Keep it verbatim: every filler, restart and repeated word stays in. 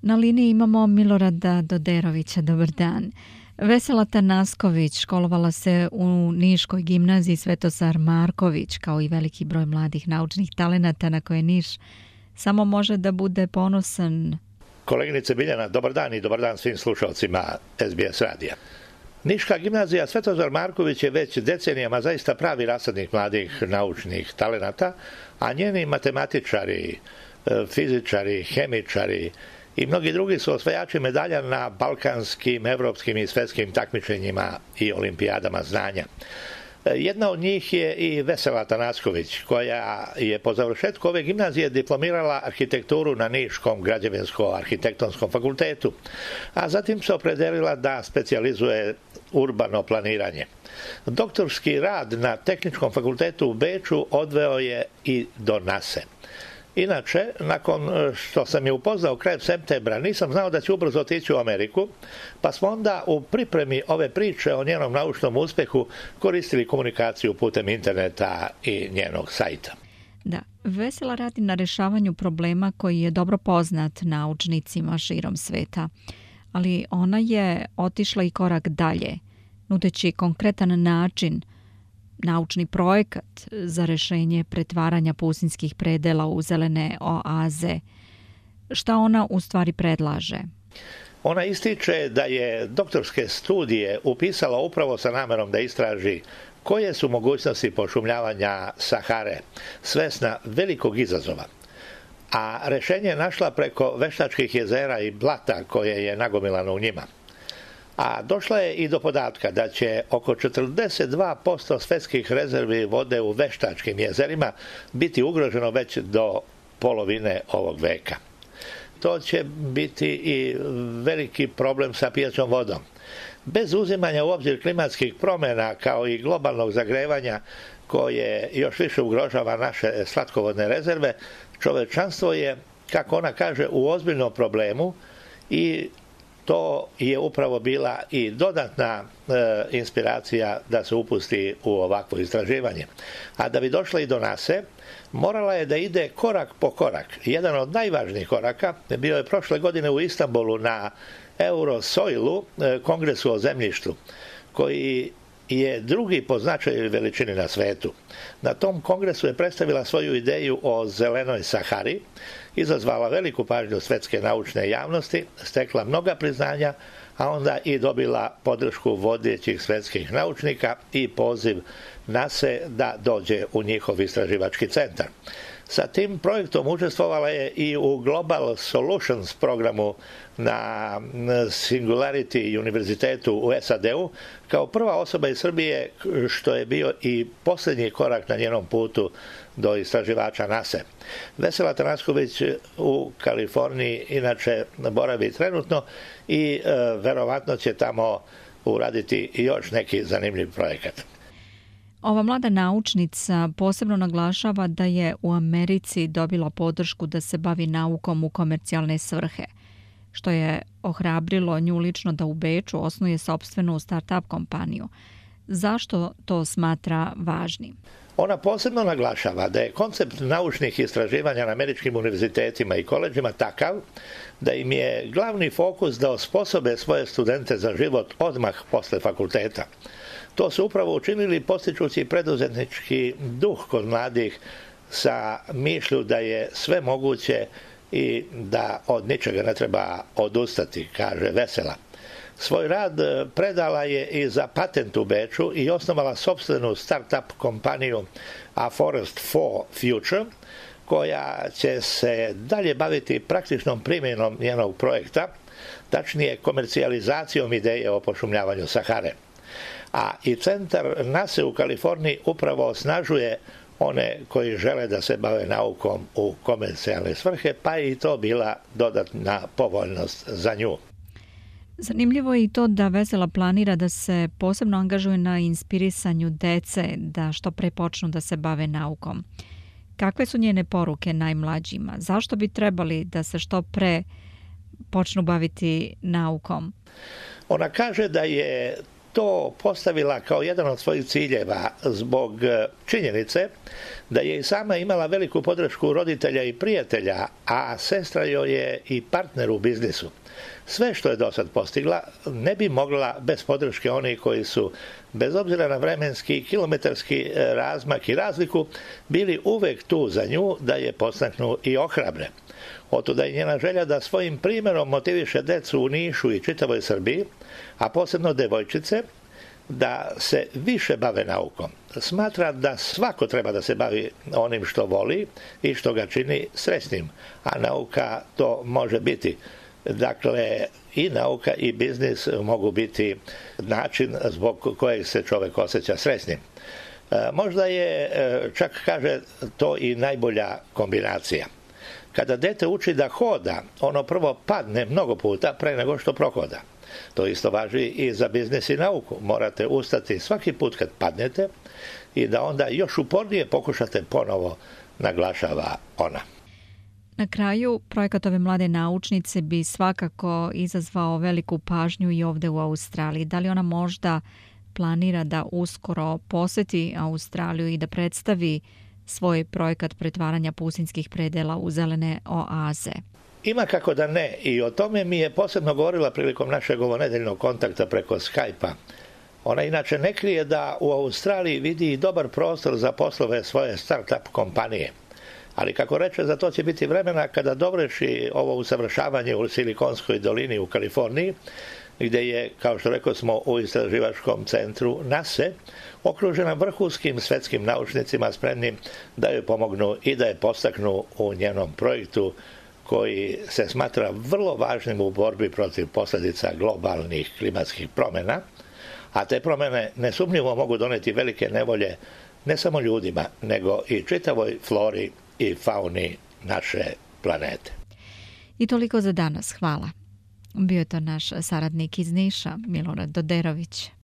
Na liniji imamo Milorada Doderovića. Dobar dan. Vesela Tanasković školovala se u Niškoj gimnaziji Svetozar Marković, kao i veliki broj mladih naučnih talenata na koje Niš samo može da bude ponosan. Koleginice Biljana, dobar dan i dobar dan svim slušalcima S B S radija. Niška gimnazija Svetozar Marković je već decenijama zaista pravi rasadnik mladih naučnih talenata, a njeni matematičari, fizičari, hemičari i mnogi drugi su osvajači medalja na balkanskim, evropskim i svetskim takmičenjima i olimpijadama znanja. Jedna od njih je i Vesela Tanasković, koja je po završetku ove gimnazije diplomirala arhitekturu na Niškom građevinsko-arhitektonskom fakultetu, a zatim se opredelila da specijalizuje urbano planiranje. Doktorski rad na Tehničkom fakultetu u Beču odveo je i do nase. Inače, nakon što sam je upoznao krajem septembra, nisam znao da će ubrzo otići u Ameriku, pa smo onda u pripremi ove priče o njenom naučnom uspehu koristili komunikaciju putem interneta i njenog sajta. Da, Vesela radi na rešavanju problema koji je dobro poznat naučnicima širom sveta, ali ona je otišla i korak dalje, nudeći konkretan način, naučni projekat za rešenje pretvaranja pustinjskih predela u zelene oaze. Šta ona u stvari predlaže? Ona ističe da je doktorske studije upisala upravo sa namerom da istraži koje su mogućnosti pošumljavanja Sahare, svesna velikog izazova. A rešenje je našla preko veštačkih jezera i blata koje je nagomilano u njima. A došla je i do podatka da će oko četrdeset dva posto svetskih rezervi vode u veštačkim jezerima biti ugroženo već do polovine ovog veka. To će biti i veliki problem sa pijaćom vodom. Bez uzimanja u obzir klimatskih promjena kao i globalnog zagrevanja koje još više ugrožava naše slatkovodne rezerve, čovečanstvo je, kako ona kaže, u ozbiljnom problemu i to je upravo bila i dodatna e, inspiracija da se upusti u ovakvo istraživanje. A da bi došla i do nase, morala je da ide korak po korak. Jedan od najvažnijih koraka bio je prošle godine u Istanbulu na Eurosoilu, e, kongresu o zemljištu, koji je drugi po značaju i veličini na svetu. Na tom kongresu je predstavila svoju ideju o zelenoj Sahari, izazvala veliku pažnju svetske naučne javnosti, stekla mnoga priznanja, a onda i dobila podršku vodećih svetskih naučnika i poziv nase da dođe u njihov istraživački centar. Sa tim projektom učestvovala je i u Global Solutions programu na Singularity univerzitetu u S A D-u kao prva osoba iz Srbije, što je bio i posljednji korak na njenom putu do istraživača nase. Vesela Tanasković u Kaliforniji inače boravi trenutno i e, verovatno će tamo uraditi još neki zanimljiv projekat. Ova mlada naučnica posebno naglašava da je u Americi dobila podršku da se bavi naukom u komercijalne svrhe, što je ohrabrilo nju lično da u Beču osnuje sopstvenu start-up kompaniju. Zašto to smatra važnim? Ona posebno naglašava da je koncept naučnih istraživanja na američkim univerzitetima i koleđima takav da im je glavni fokus da osposobe svoje studente za život odmah posle fakulteta. To su upravo učinili postičući preduzetnički duh kod mladih sa mišlju da je sve moguće i da od ničega ne treba odustati, kaže Vesela. Svoj rad predala je i za patent u Beču i osnovala sopstvenu start-up kompaniju A Forest for Future, koja će se dalje baviti praktičnom primjenom njenog projekta, tačnije komercijalizacijom ideje o pošumljavanju Sahare. A i centar nase u Kaliforniji upravo osnažuje one koji žele da se bave naukom u komercijalne svrhe, pa je i to bila dodatna povoljnost za nju. Zanimljivo je i to da Vesela planira da se posebno angažuje na inspirisanju dece da što pre počnu da se bave naukom. Kakve su njene poruke najmlađima? Zašto bi trebali da se što pre počnu baviti naukom? Ona kaže da je to postavila kao jedan od svojih ciljeva zbog činjenice da je i sama imala veliku podršku roditelja i prijatelja, a sestra joj je i partner u biznisu. Sve što je do sad postigla ne bi mogla bez podrške onih koji su, bez obzira na vremenski i kilometarski razmak i razliku, bili uvek tu za nju da je podstaknu i ohrabre. Otuda je njena želja da svojim primjerom motiviše decu u Nišu i čitavoj Srbiji, a posebno devojčice, da se više bave naukom. Smatra da svako treba da se bavi onim što voli i što ga čini srećnim, a nauka to može biti. Dakle, i nauka i biznis mogu biti način zbog kojeg se čovjek osjeća srećnim. Možda je, čak kaže, to i najbolja kombinacija. Kada dete uči da hoda, ono prvo padne mnogo puta pre nego što prohoda. To isto važi i za biznis i nauku. Morate ustati svaki put kad padnete i da onda još upornije pokušate ponovo, naglašava ona. Na kraju, projekat ove mlade naučnice bi svakako izazvao veliku pažnju i ovdje u Australiji. Da li ona možda planira da uskoro poseti Australiju i da predstavi svoj projekat pretvaranja pustinjskih predela u zelene oaze? Ima kako da ne, i o tome mi je posebno govorila prilikom našeg ovonedeljnog kontakta preko Skype-a. Ona inače ne krije da u Australiji vidi i dobar prostor za poslove svoje start-up kompanije. Ali kako reče, za to će biti vremena kada dovrši ovo usavršavanje u Silikonskoj dolini u Kaliforniji, gdje je, kao što rekao smo, u istraživačkom centru NASA, okružena vrhunskim svetskim naučnicima spremnim da joj pomognu i da je podstaknu u njenom projektu koji se smatra vrlo važnim u borbi protiv posljedica globalnih klimatskih promjena, a te promjene nesumnjivo mogu doneti velike nevolje ne samo ljudima, nego i čitavoj flori i fauni naše planete. I toliko za danas. Hvala. Bio je to naš saradnik iz Niša, Milorad Doderović.